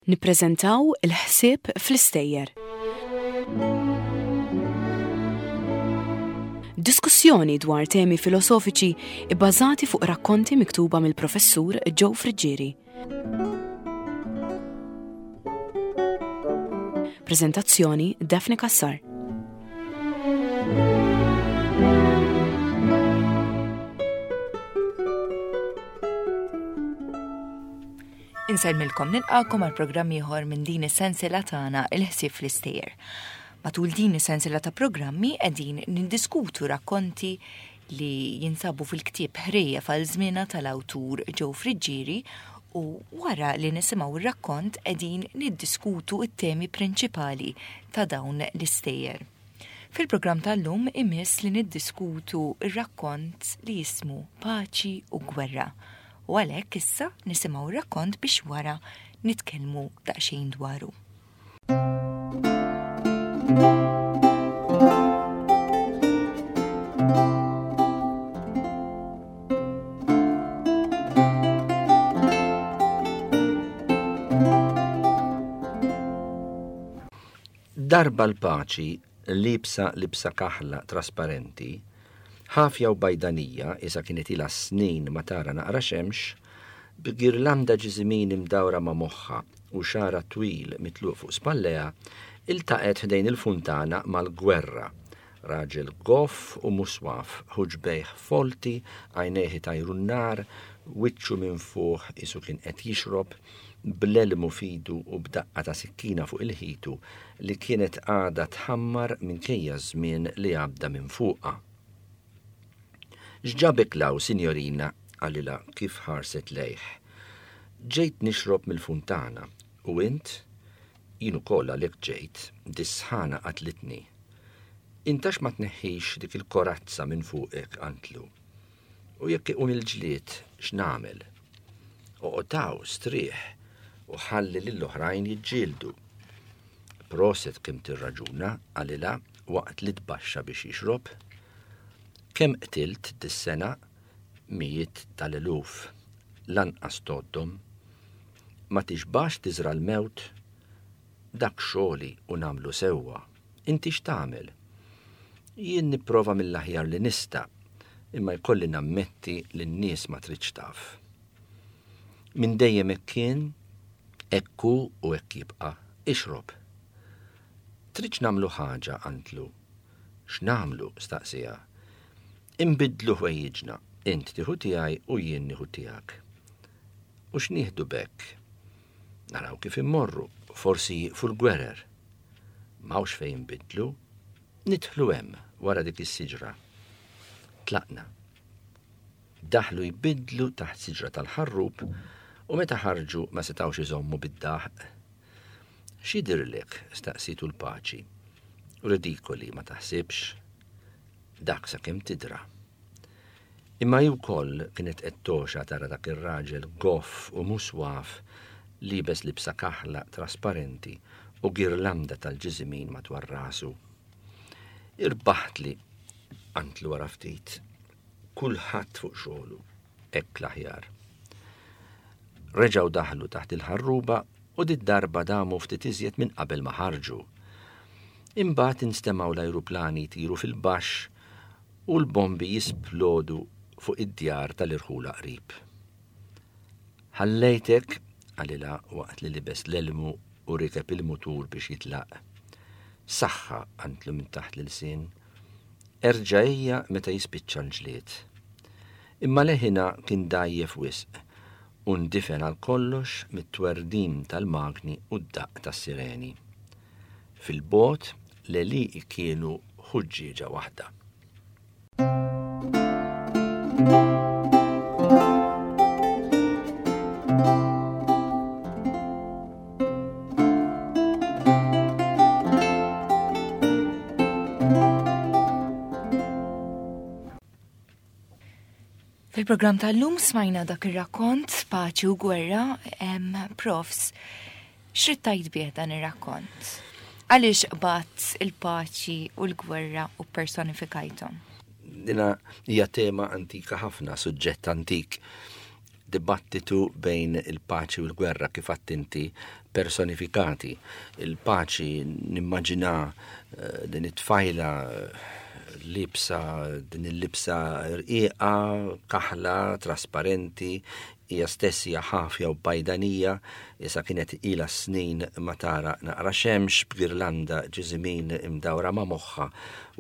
Nippreżentaw il-ħsieb fl-istejjer. Diskussjoni dwar temi filosofiċi ibbażati fuq rakkonti miktuba mill-Professur Joe Friggieri. Preżentazzjoni Daphne Cassar. Insellmilkom nilqakom għal programm ieħor minn din is-sensiela tagħna il-ħsieb fl-istejjer. Matul din is-sensiela ta' programmi qegħdin niddiskutu rakkonti li jinsabu fil-ktieb Ħrejjef għal żmienha tal-awtur Joe Friggieri u wara li nisimgħu r-rakkont qegħdin niddiskutu t-temi prinċipali ta' dawn l-istejjer. Fil-programm tal-lum imiss li niddiskutu r-rakkont li jismu Paċi u Gwerra. U għalhekk issa nisimgħu r-rakkont biex wara nitkellmu daqsxejn dwaru. Darba l-paċi liebsa libsa kaħla trasparenti, ħafja u bajdanija qisha kienet ilha snin ma tara naqra xemx, b'girlanda ġiżimin imdawra ma' moħħha u xagħarha twil mitluq fuq spallejha, iltaqgħet ħdejn il-funtana mal-Gwerra, raġel goff u muswaf, ħuġbejh folti, għajnejh itajru n-nar, wiċċu minfuħ qisu kien qed jixrob, bl-elmu f'idu u b'daqqa ta' sikkina fuq il-ħitu li kienet għadha tħammar minkejja ż-żmien li għadda minn fuqha. X'ġabek 'l hawn, sinjorina? qalilha kif ħarset lejh. Ġejt nixrob mill-funtana. U int? Jien ukoll għalhekk ġejt, dis-sħana qatlitni. Int għax ma tneħħix dik il-korazza minn fuqek, qantlu. U jekk iqum il-ġlied, x'nagħmel? Oqgħod hawn, strieħ, u ħalli lill-oħrajn jiġġieldu. Proset kemm tirraġuna, qalilha waqt li tbaxxa biex jixrob. Kemm qtilt dis-sena? Mijiet tal-eluf. Lanqas tgħoddhom. Ma tixbax tiżra' l-mewt? Dak xogħli u nagħmlu sewwa. Inti x'tagħmel? Jien nipprova mill-aħjar li nista', imma jkolli nammetti li n-nies ma tridx taf. Minn dejjem hekk kien, hekk hu u hekk jibqa'. Ixrob. Tridx nagħmlu ħaġa, qantlu. X'nagħmlu? staqsieha. Inbiddlu ħwejjiġna, int tieħu tiegħi u jien nieħu tiegħek. U x'nieħdu b'hekk? Naraw kif immorru, forsi jieqfu l-gwerer. M'hawnx fejn inbiddlu. Nidħlu hemm, wara dik is-siġra. Tlaqna. Daħlu jbiddlu taħt siġra tal-ħarrub u meta ħarġu ma setgħux iżommu bid-daħq. X'jidhirlek? staqsietu l-paċi. Ridikoli, ma taħsibx? Dak sakemm tidra. Imma hi wkoll kienet qed togħxa tara dak ir-raġel goff u muswaf liebes libsa kaħla trasparenti u girlanda tal-ġiżimin madwar rasu. Irbaħtli, qantlu wara ftit. Kulħadd fuq xogħlu, hekk l-aħjar. Reġgħu daħlu taħt il-ħarruba u did-darba damu ftit iżjed minn qabel ma ħarġu. Imbagħad instemgħu l-ajruplani jtiru fil-baxx u l-bombi jisplodu fuq id-djar tal-irħula qrib. Ħallejtek, qalilha waqt li libes l-elmu u rikeb il-mutur biex jitlaq. Saħħa, qantlu minn taħt l-ilsien. Erġa' ejja meta jispiċċa l-ġlied. Imma leħinha kien dgħajjef wisq u ndifen għal kollox mit-twerdim tal-magni u d-daqq tas-sireni. Fil-bogħod, l-għelieqi kienu ħuġġieġa waħda. Fil-programm tal-lum smajna dak ir-rakkont Paċi u Gwerra, profs, x'rid tgħid bih dan ir-rakkont? Għaliex qbadt il-paċi u l-gwerra u personifikajthom? Dina hija tema antika ħafna, suġġett antik. dibattitu bejn il-paċi u l-gwerra kif għedt inti personifikati. Il-paċi nimmaġina eh, din it-tfajla eh, libsa din il-libsa rqiqa, kaħla, trasparenti, hija stess hija ħafja u bajdanija, issa kienet ilha snin ma tara naqra xemx b'girlanda ġiżimin imdawra ma' moħħha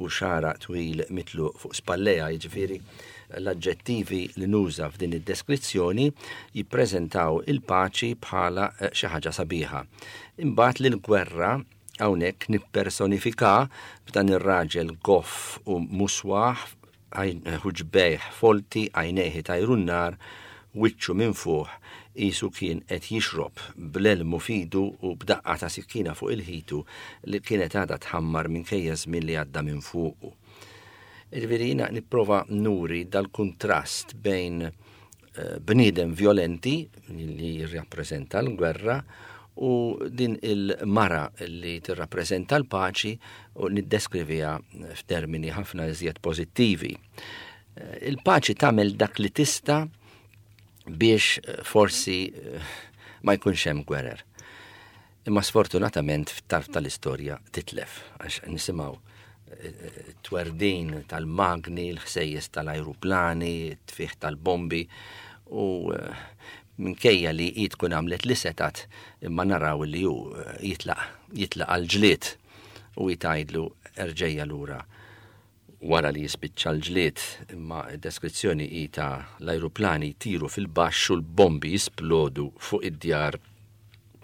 u xagħarha twil mitluq fuq spallejha, jiġifieri l-aġġettivi li nuża f'din id-deskrizzjoni jippreżentaw il-paċi bħala eh, xi ħaġa sabiħa. Imbagħad lill-gwerra hawnhekk nippersonifika b'dan ir-raġel goff u muswaħ ħuġbejh folti, għajnejh itajru n-nar, wiċċu minfuħ qisu kien qed jixrob, bl-elmu f'idu u b'daqqa ta' sikkina fuq il-ħitu li kienet għadha tħammar minkejja ż-żmien li għadda minn fuqu. Jiġifieri jiena nipprova nuri dal-kuntrast bejn bniedem violenti li jirrappreżenta l-gwerra u din il-mara li tirrappreżenta l-paċi u niddeskriviha f'termini ħafna iżjed pożittivi. Il-paċi tagħmel dak li tista' biex forsi ma jkunx hemm gwerer. Imma sfortunatament f'tarf tal-istorja titlef, għax nisimgħu eh, twerdin tal-magni, l-ħsejjes tal-ajruplani, t-tfih tal-bombi u eh, minkejja li hi tkun għamlet li setat imma naraw li hu eh, jitlaq jitlaq għal-ġlied u jtajdlu erġejja lura wara li jispiċċa l-ġlied imma d-deskrizzjoni hi ta' l-ajruplani jtiru fil-baxx u l-bombi jisplodu fuq id-djar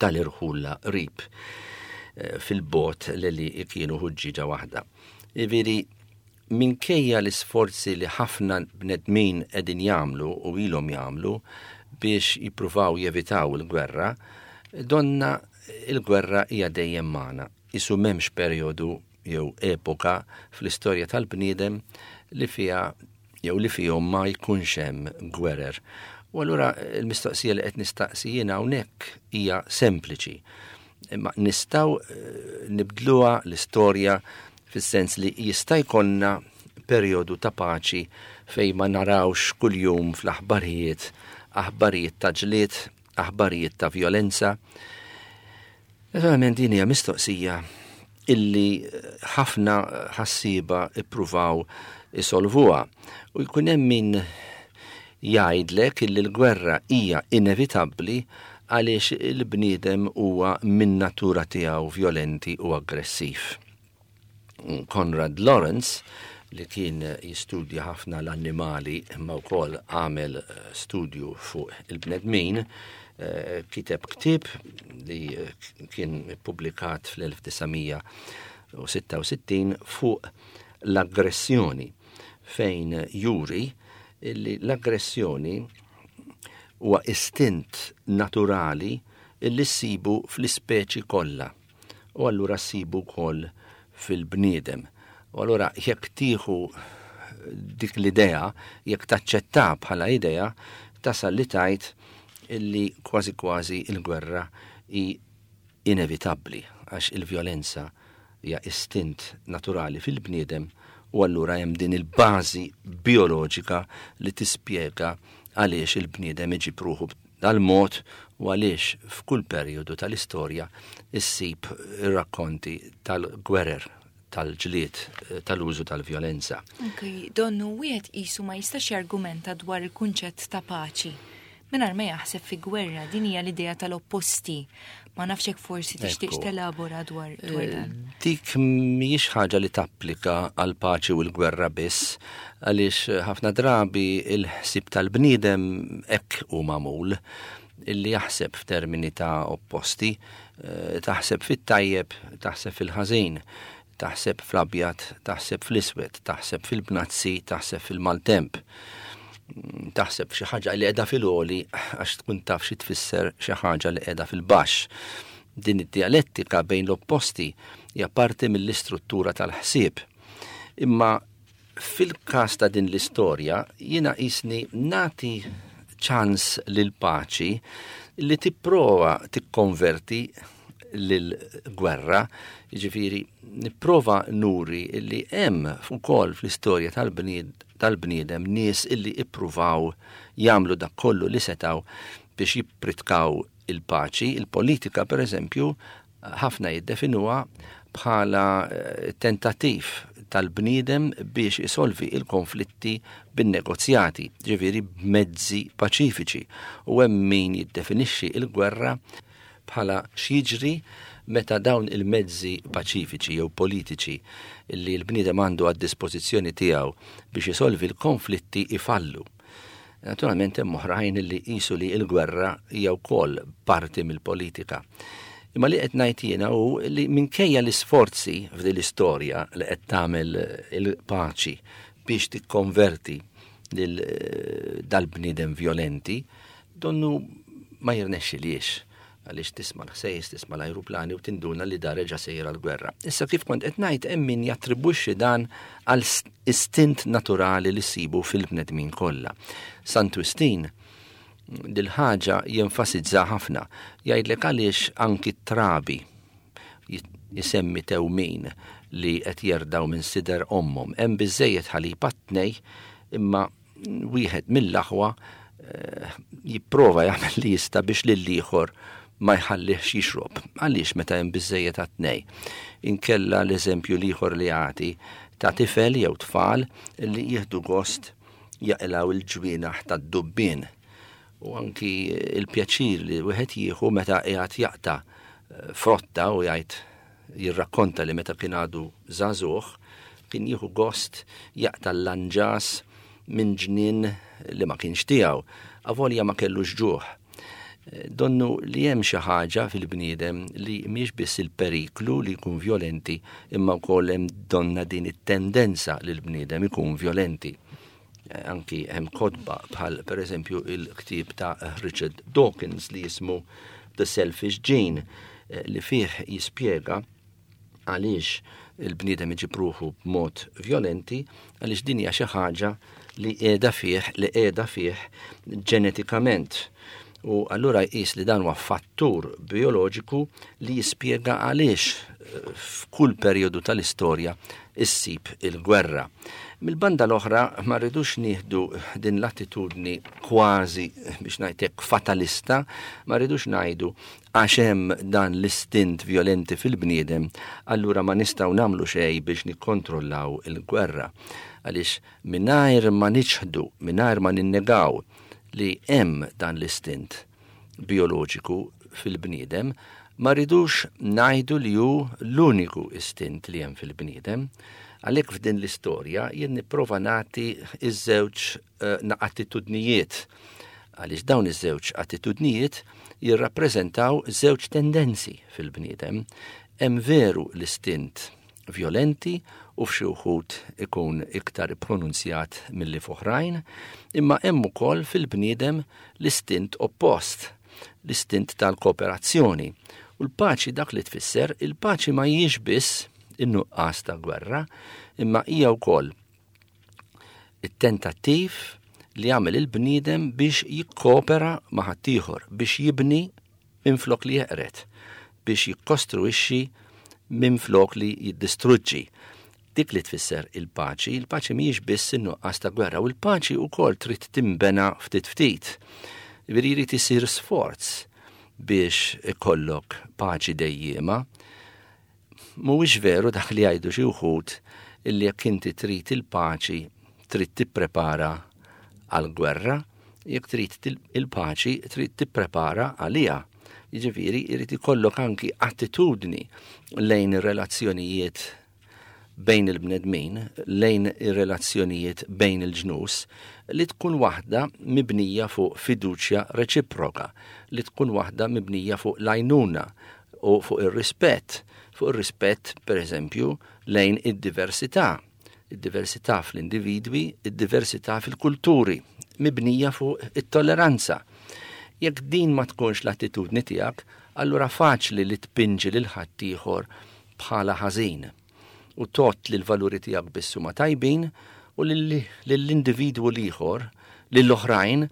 tal-irħula qrib eh, fil-bot li li kienu ħuġġieġa waħda. Jiġifieri minkejja l-isforzi li ħafna bnedmin qegħdin jagħmlu u ilhom jagħmlu biex jippruvaw jevitaw il-gwerra, donna il-gwerra hija dejjem magħna. Isu m'hemmx perjodu jew epoka fl-istorja tal-bniedem li fiha jew li fihom ma jkunx hemm gwerer. U allura l-mistoqsija li qed nistaqsi jien hawnhekk hija sempliċi. Imma nistgħu eh, nibdluha l-istorja fis-sens li jista' jkollna perjodu ta' paċi fejn ma narawx kuljum fl-aħbarijiet aħbarijiet ta' ġlied, aħbarijiet ta' vjolenza. Naturalment din hija mistoqsija illi ħafna ħassieba ippruvaw isolvuha. U jkun hemm min jgħidlek illi l-gwerra hija inevitabbli għaliex il-bniedem huwa min natura tiegħu vjolenti u aggressiv. Konrad Lorenz li kien jistudja ħafna l-annimali imma wkoll għamel eh, studju fuq il-bnedmin, eh, kiteb ktieb li eh, kien ippubblikat fl-1966 fuq l-aggressjoni fejn juri li l-aggressjoni huwa istint naturali li ssibu fl-ispeċi kollha. U allura ssibu wkoll fil-bniedem. U allura jekk tieħu dik l-idea, jekk taċċetta bħala idea, tasal li tgħid illi kważi kważi il-gwerra hi inevitabbli għax il-vjolenza hija istint naturali fil-bniedem u allura hemm din il-bażi bioloġika li tispjega għaliex il-bniedem iġib ruħu Dal-mod u għaliex f'kull perjodu tal-istorja issib ir-rakkonti tal-gwerer, tal-ġlied, tal-użu tal-vjolenza. Anki donnu wieħed qisu ma jistax jargumenta dwar il-kunċett ta' paċi mingħajr ma jaħseb fi gwerra, din hija l-idea tal-opposti. Ma nafx hekk forsi tixtieqx telabora dwar dwar eh, dan. Dik mhijiex ħaġa li tapplika għal paċi u l-gwerra biss, għaliex ħafna drabi il-ħsieb tal-bniedem hekk hu magħmul illi jaħseb f'termini ta' opposti, eh, taħseb fit-tajjeb, taħseb fil-ħażin, Taħseb fl-abjad, taħseb fl-iswed, taħseb fil-bnazzi, taħseb fil-maltemp. Taħseb f'xi ħaġa li qiegħda fil-għoli għax tkun taf xi tfisser xi ħaġa li qiegħda fil-baxx. Din id-dialettika bejn l-opposti hija parti mill-istruttura tal-ħsieb. Imma Fil-każ ta' din l-istorja, jiena qisni nagħti ċans lill-paċi li tipprova tikkonverti lill-gwerra, jiġifieri nipprova nuri illi hemm ukoll fl-istorja tal-bniedem nies illi ippruvaw jagħmlu dak kollu li setgħu biex jippritkaw il-paċi. Il-politika, per eżempju, ħafna jiddefinuha bħala tentattiv tal-bniedem biex isolvi il-konflitti bin-negozjati, ġifieri b'mezzi paċifiċi. U hemm min jiddefinixxi il-gwerra bħala x'jiġri meta dawn il-mezzi paċifiċi jew politiċi li l-bniedem għandu għad-dispożizzjoni tiegħu biex isolvi l-konflitti ifallu. Naturalment hemm oħrajn li jqisu li l-gwerra hija wkoll parti mill-politika. Imma li qed ngħid jiena hu li minkejja l-isforzi f'din l-istorja li qed tagħmel il-paċi biex tikkonverti lil dal-bniedem vjolenti, donnu ma jirnexxiliex għaliex tisma' l-ħsejjes, tisma' l-ajruplani u tinduna li da reġa' sejjer għall-gwerra. Issa kif kont qed ngħid hemm min jattribwixxi dan għal istint naturali li ssibu fil-bnedmin kollha. Sant Wistin dil-ħaġa jenfasizza ħafna. Jgħidlek għaliex anki t-trabi jisemmi tewmin li qed jerdaw minn sider ommhom. Hemm biżejjed ħalib għat-tnej imma wieħed mill-aħwa eh, jipprova jagħmel li jista' biex lill-ieħor ma jħallihx jixrob. Għaliex meta hemm biżejjed għat-tnej? Inkella l-eżempju l-ieħor li jagħti ta' tifel jew tfal li jieħdu gost jaqilgħu il-ġwienaħ tad-dubbien u anki il-pjaċir li wieħed jieħu meta qiegħed jaqta' eh, frotta u jgħid jirrakkonta li meta kien għadu żagħżugħ kien jieħu gost jaqta' l-lanġas minn ġnien li ma kienx tiegħu, avolja ma kellux ġuħ. Donnu li hemm xi ħaġa fil-bniedem li mhijiex biss il-periklu li jkun vjolenti imma wkoll hemm donna din it-tendenza li l-bniedem ikun vjolenti. Anki hemm kotba bħal pereżempju il-ktieb ta' Richard Dawkins li jismu The Selfish Gene eh, li fih jispjega għaliex il-bniedem iġib ruħu b'mod violenti għaliex din hija xi ħaġa li qiegħda fih li qiegħda fih ġenetikament. U allura jqis li dan huwa fattur bioloġiku li jispjega għaliex eh, f'kull perjodu tal-istorja issib il-gwerra. Mill-banda l-oħra ma rridux nieħdu din l-attitudni kważi biex ngħidlek fatalista, ma rridux ngħidu għax hemm dan l-istint violenti fil-bniedem, allura ma nistgħu nagħmlu xejn biex nikkontrollaw il-gwerra. Għaliex mingħajr ma niċħdu, mingħajr ma ninnegaw li hemm dan l-istint bioloġiku fil-bniedem, ma rridux ngħidu li hu l-uniku istint li hemm fil-bniedem. Għalhekk f'din l-istorja jien nipprova nagħti iż-żewġ eh, attitudnijiet għaliex dawn iż-żewġ attitudnijiet jirrappreżentaw żewġ tendenzi fil-bniedem. Hemm veru l-istint vjolenti u f'xi wħud ikun iktar ippronunzjat milli f'oħrajn, imma hemm ukoll fil-bniedem l-istint oppost, l-istint tal-kooperazzjoni. U l-paċi dak li tfisser, il-paċi ma hijiex biss in-nuqqas ta' gwerra, imma hija wkoll it-tentattiv li jagħmel il-bniedem biex jikkopera ma' ħaddieħor, biex jibni minflok li jeqred, biex jikkostruixxi minflok li jiddistruġġi. Dik li tfisser il-paċi, il-paċi mhijiex biss in-nuqqas ta' gwerra u l-paċi wkoll trid tinbena ftit ftit. Jiġifieri jrid isir sforz biex ikollok paċi dejjiema. Mhuwiex veru dak li jgħidu xi wħud illi jekk inti trid il-paċi trid tipprepara għall-gwerra, jekk trid il-paċi trid tipprepara għaliha. Jiġifieri jrid ikollok anki attitudni lejn ir-relazzjonijiet bejn il-bnedmin, lejn ir-relazzjonijiet bejn il-ġnus, li tkun waħda mibnija fuq fiduċja reċiproka, li tkun waħda mibnija fuq l-għajnuna u fuq ir-rispett, fuq ir-rispett pereżempju lejn id-diversità, id-diversità fl-individwi, id-diversità fil-kulturi, mibnija fuq it-tolleranza. Jekk din ma tkunx l-attitudni tiegħek, allura faċli li tpinġi lil ħaddieħor bħala ħażin u tgħodd li l-valuri tiegħek biss huma tajbin u lill-individwu l-ieħor, lill-oħrajn,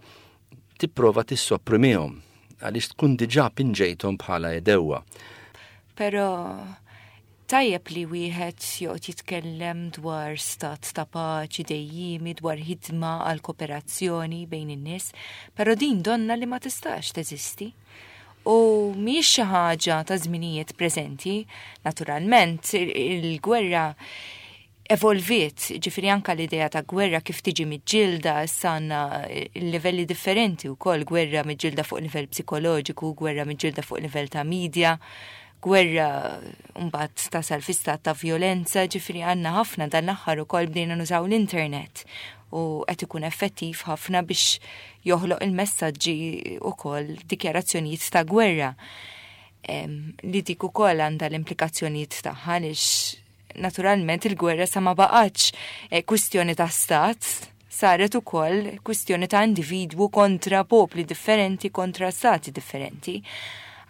tipprova tissopprimihom għaliex tkun diġà pinġejthom bħala għedewwa. Però tajjeb li wieħed joqgħod jitkellem dwar stat ta' paċi dejjiemi, dwar ħidma għal kooperazzjoni bejn in-nies, però din donna li ma tistax teżisti. U mhijiex xi ħaġa ta' żminijiet preżenti, naturalment il-gwerra evolviet, ġifieri anka l-idea ta' gwerra kif tiġi miġġielda, issa għandna livelli differenti wkoll, gwerra miġġielda fuq livell psikoloġiku, gwerra miġġielda fuq livell ta' media, gwerra mbagħad tasal fi stat ta' vjolenza, ġifieri għandna ħafna dan l-aħħar ukoll bdejna nużaw l-internet u qed ikun effettiv ħafna biex joħloq il-messaġġi ukoll dikjarazzjonijiet ta' gwerra. Li dik ukoll għandha l-implikazzjonijiet tagħha għaliex naturalment il-gwerra sa ma baqgħetx eh, kwistjoni ta' stat, saret ukoll kwistjoni ta' individwu kontra popli differenti, kontra stati differenti.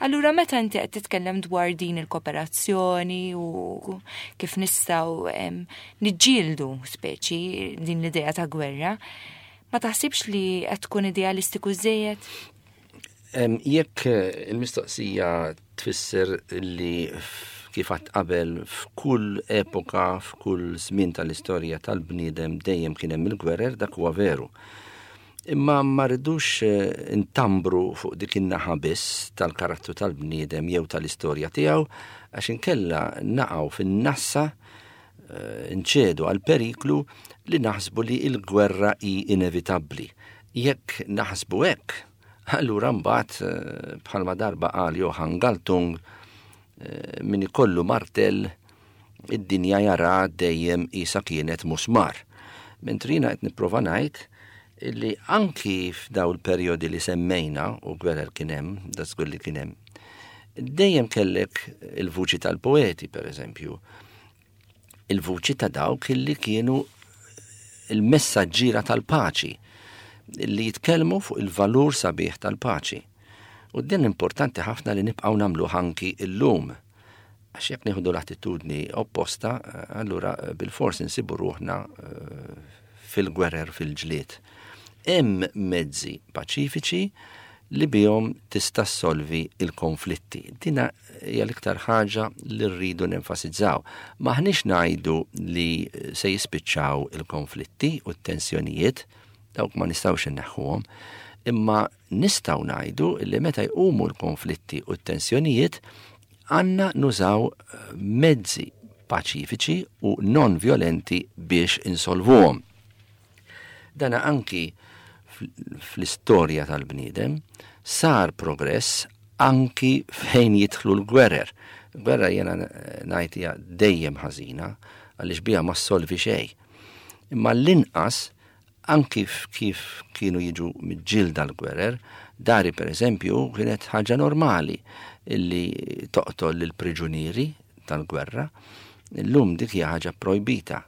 Allura meta inti qed titkellem dwar din il-kooperazzjoni u kif nistgħu niġġieldu speċi din l-idea ta' gwerra, ma taħsibx li qed tkun idealistiku żejjed? Jekk eh, il-mistoqsija tfisser li kif għadt qabel f'kull epoka, f'kull żmien tal-istorja tal-bniedem dejjem kien hemm il-gwerer, dak huwa veru. Imma ma rridux eh, intambru fuq dik in-naħa biss tal-karattru tal-bniedem jew tal-istorja tiegħu għax inkella naqgħu fin-nassa eh, nċedu għal periklu li naħsbu li l-gwerra hi inevitabbli. Jekk naħsbu hekk, allura mbagħad eh, bħalma darba qal Johann Galtung eh, min ikollu martell id-dinja jara dejjem isa kienet musmar. Mentri jiena qed nipprova ngħid illi anki f'daw il-perjodi li semmejna u gwerer kien hemm, da żgur li kien hemm, dejjem kellek il-vuċi tal-poeti, per eżempju, il-vuċi ta' dawk illi kienu il-messaġġiera tal-paċi, li jitkellmu fuq il-valur sabiħ tal-paċi. U din importanti ħafna li nibqgħu nagħmluh anki illum. Għax jekk nieħdu l-attitudni opposta, allura bilfors insibu ruħna eh, fil-gwerer fil-ġlied. Hemm mezzi paċifiċi li bihom tista' ssolvi il-konflitti. Dina hija l-iktar ħaġa li rridu nenfasizzaw. M'aħniex ngħidu li se jispiċċaw il-konflitti u t-tensjonijiet, dawk ma nistgħux inneħħuhom, imma nistgħu ngħidu li meta jqumu l-konflitti u t-tensjonijiet għandna nużaw mezzi paċifiċi u non violenti biex insolvuhom. Dana anki fl-istorja tal-bniedem sar progress anki fejn jidħlu l-gwerer. Gwerra jena ngħid hija dejjem ħażina għaliex biha ma ssolvi xejn. Imma l-inqas anki kif kienu jiġu miġġielda l-gwerer, dari per eżempju kienet ħaġa normali illi toqtol lill-priġunieri tal-gwerra. Illum dik hija ħaġa projbita.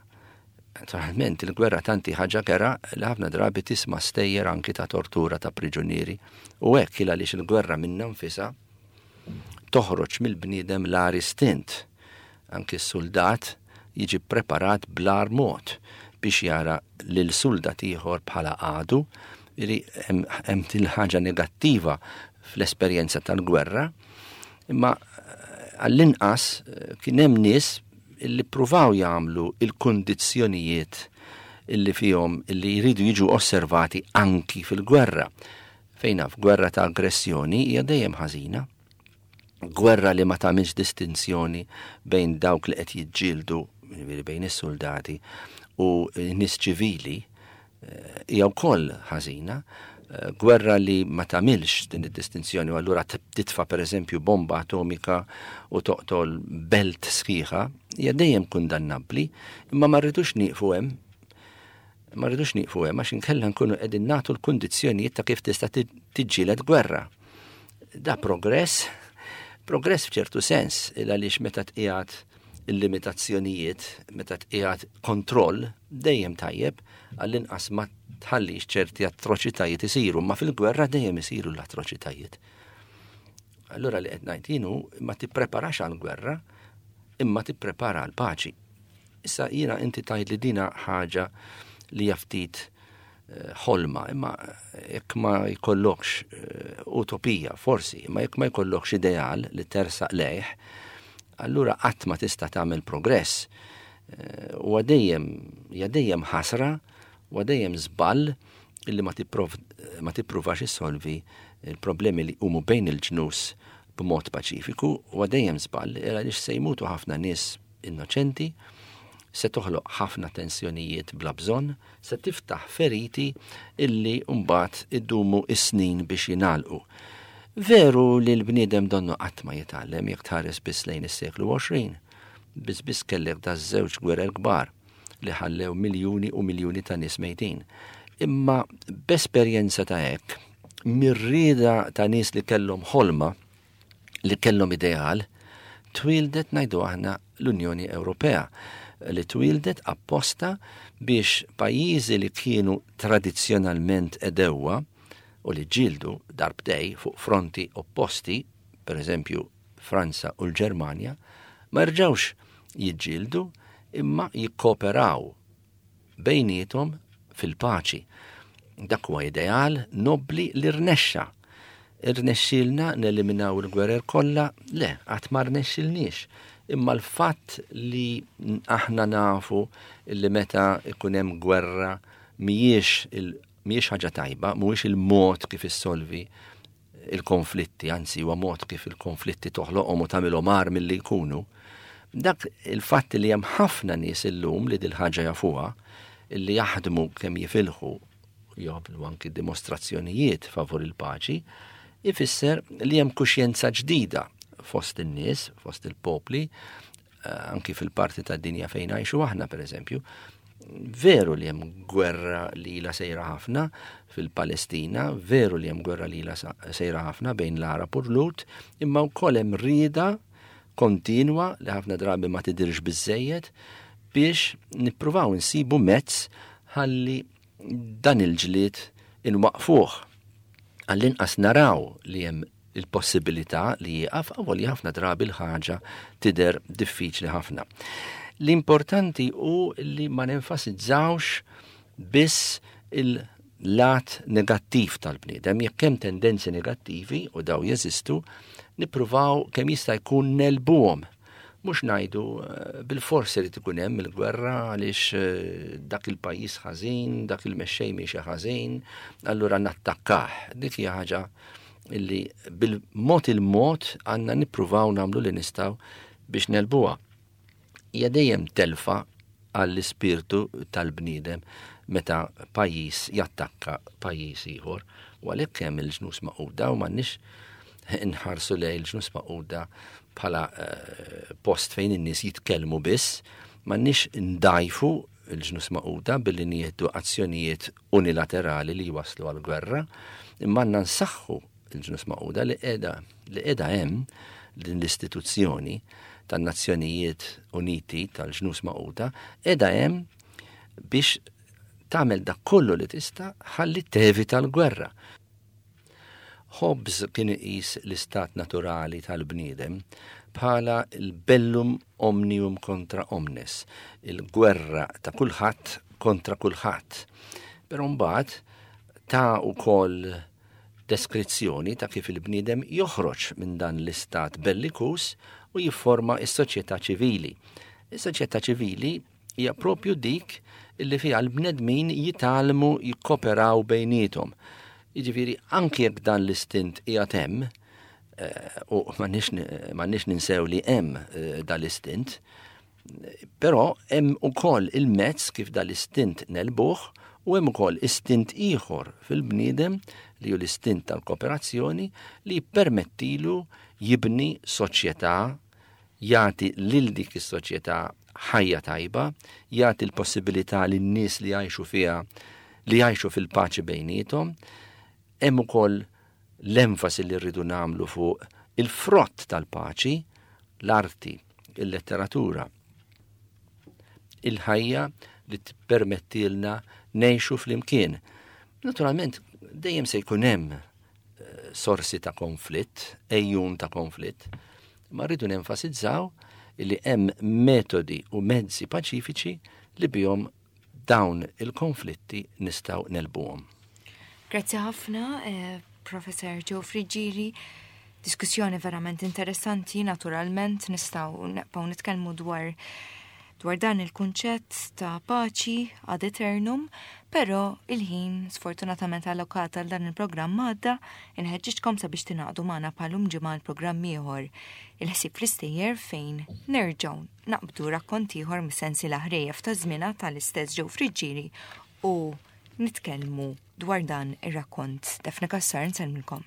Naturalment, il-gwerra tant hi ħaġa kerha li ħafna drabi tisma' stejjer anki ta' tortura ta' priġunieri. U hekk il għaliex il-gwerra minnha nfisha toħroġ mill-bniedem l-agħar istint. Anki s-suldat jiġi ppreparat bl-agħar mod biex jara lil suldat ieħor bħala għadu. Jiġifieri hemm din il-ħaġa negattiva fl-esperjenza tal-gwerra, imma għall-inqas kien hemm nies illi ppruvaw jagħmlu il-kundizzjonijiet illi fihom illi jridu jiġu osservati anki fil-gwerra. Fejn naf, gwerra ta' aggressjoni hija dejjem ħażina. Gwerra li ma tagħmilx distinzjoni bejn dawk li qed jiġġieldu, jiġifieri bejn is-suldati, u nies ċivili, hija wkoll ħażina. Eh, gwerra li ma tagħmilx din id-distinzjoni u allura titfa' pereżempju bomba atomika u toqtol belt sħiħa hija dejjem kundannabbli, imma ma rridux nieqfu hemm. Ma rridux nieqfu hemm għax inkella nkunu qegħdin nagħtu l-kundizzjonijiet ta' kif tista' tiġġieled gwerra. Da progress, progress f'ċertu sens, il għaliex meta tqiegħed il-limitazzjonijiet, meta tqiegħed kontroll, dejjem tajjeb, għall-inqas ma tħallix ċerti atroċitajiet isiru, ma fil-gwerra dejjem isiru l-atroċitajiet. Allura li qed ngħid jienu ma tippreparax għall-gwerra, imma tipprepara għall-paċi. Issa jiena inti tgħid li dina ħaġa li hija ftit eh, ħolma, imma jekk ma jkollokx eh, utopija, forsi, imma jekk ma jkollokx ideal li tersaq lejh, Allura qatt ma tista' tagħmel progress. Huwa dejjem, hija dejjem ħasra, huwa dejjem żball illi ma ma tippruvax issolvi l-problemi li jqumu bejn il-ġnus b'mod paċifiku, huwa dejjem żball għaliex se jmutu ħafna nies innoċenti, se toħloq ħafna tensjonijiet bla bżonn, se tiftaħ feriti illi mbagħad iddumu s-snin biex jingħalqu. Veru li l-bniedem donnu qatt ma jitgħallem jekk tħares biss lejn is-seklu 20. Biss biss kellek daż-żewġ gwerer kbar li ħallew miljuni u miljuni ta' nies mejtin. Imma b'esperjenza ta' hekk, mir-rieda ta' nies li kellhom ħolma, li kellhom ideal, twieldet ngħidu aħna l-Unjoni Ewropea li twieldet apposta biex pajjiżi li kienu tradizzjonalment għedewwa u li ġġieldu darbtej fuq fronti opposti, per eżempju Franza u l-Ġermanja, ma jerġgħux jiġġieldu imma jikkooperaw bejniethom fil-paċi. Dak huwa ideal nobbli li rnexxa. Irnexxielna neliminaw il-gwerer kollha? Le, qatt ma rnexxilniex. Imma l-fatt li aħna nafu li meta ikun hemm gwerra mhijiex mhijiex ħaġa tajba, mhuwiex il-mod kif issolvi il-konflitti, anzi huwa mod kif il-konflitti toħloqhom u tagħmilhom agħar milli jkunu. Dak il-fatt li hemm ħafna nies illum li dil-ħaġa jafuha, li jaħdmu kemm jifilħu jagħmlu anki dimostrazzjonijiet favur il-paċi, ifisser li hemm kuxjenza ġdida fost in-nies, fost il-popli, eh, anki fil-parti tad-dinja fejn ngħixu aħna pereżempju, veru li hemm gwerra li ila sejra ħafna fil-Palestina, veru li hemm gwerra li ila sejra ħafna bejn l-Arab u l-Lut, imma wkoll hemm rieda kontinwa li ħafna drabi ma tidirx biżejjed biex nippruvaw insibu mezz ħalli dan il-ġlied inwaqfuh. Għall-inqas naraw li hemm il-possibilità li jieqaf avolja ħafna drabi l-ħaġa tidher diffiċli ħafna. L-importanti hu li ma nenfasizzawx biss il-lat negattiv tal-bniedem, jekk hemm tendenzi negattivi u daw jeżistu, nippruvaw kemm jista' jkun nelbuhom. Mhux ngħidu eh, bil-forsi li tkun hemm il-gwerra għaliex eh, dak il-pajjiż ħażin, dak il-mexxej miexi ħażin, allura nattakkah. Dik hija ħaġa illi bil-mod il-mod għandna nippruvaw nagħmlu li nistgħu biex nelbuha. Hija dejjem telfa għall-ispirtu tal-bniedem meta pajjiż jattakka pajjiż ieħor u għalhekk hemm il-ġnus maquda u m'għandniex inħarsu lejn il-ġnus maquda bħala eh, post fejn in-nies jitkellmu biss, m'għandniex ndajfu il-ġnus maquda billi nieħdu azzjonijiet unilaterali li jwasslu għal gwerra, imma għandna nsaħħu il-ġnus maquda li qiegħda li qiegħda hemm din l-istituzzjoni tan-Nazzjonijiet Uniti tal-ġnus maquda qiegħda hemm biex tagħmel dak kollu li tista' ħalli tevita l-gwerra. Hobbes kien iqis l-istat naturali tal-bniedem bħala l-bellum omnium kontra omnes, il-gwerra ta' kulħadd kontra kulħadd. Però mbagħad ta wkoll deskrizzjoni ta' kif il-bniedem joħroġ minn dan l-istat bellikuż u jifforma s-soċjetà ċivili. Is-soċjetà ċivili hija propju dik li fiha l-bnedmin jitgħallmu jikkoperaw bejniethom. Jiġifieri anki jekk dan l-istint qiegħed hemm, eh, u m'għandniex ninsew li hemm eh, dan l-istint, però hemm ukoll il-mezz kif dan l-istint nelbuh u hemm ukoll istint ieħor fil-bniedem li hu l-istint tal-kooperazzjoni li jippermettilu jibni soċjetà jagħti lil dik is-soċjetà ħajja tajba, jagħti l-possibilità lin-nies li jgħixu fiha li jgħixu fil-paċi bejniethom. Hemm ukoll l-enfasi li rridu nagħmlu fuq il-frott tal-paċi, l-arti, il-letteratura, il-ħajja li tippermettilna ngħixu flimkien. Naturalment, dejjem se jkun hemm sorsi ta' konflitt, ejjun ta' konflitt, ma rridu nenfasizzaw li hemm metodi u mezzi paċifiċi li bihom dawn il-konflitti nistgħu nelbuhom. Grazzi ħafna, eh, Professor Joe Friggieri. Diskussjoni verament interessanti, naturalment nistgħu neqpaw nitkellmu dwar dwar dan il-kunċett ta' paċi ad eternum, però il-ħin sfortunatament allokat għal dan il-programm għadda, inħeġġiġkom sabiex tingħaqdu magħna bħalum ġimgħa l-programm ieħor il-ħsieb fl-istejjer fejn nerġgħu naqbdu rakkont ieħor mis-sensiela ħrejjef ta' żmienha tal-istess Joe Friggieri u nitkellmu dwar dan ir-rakkont. Daphne Cassar nsellmilkom.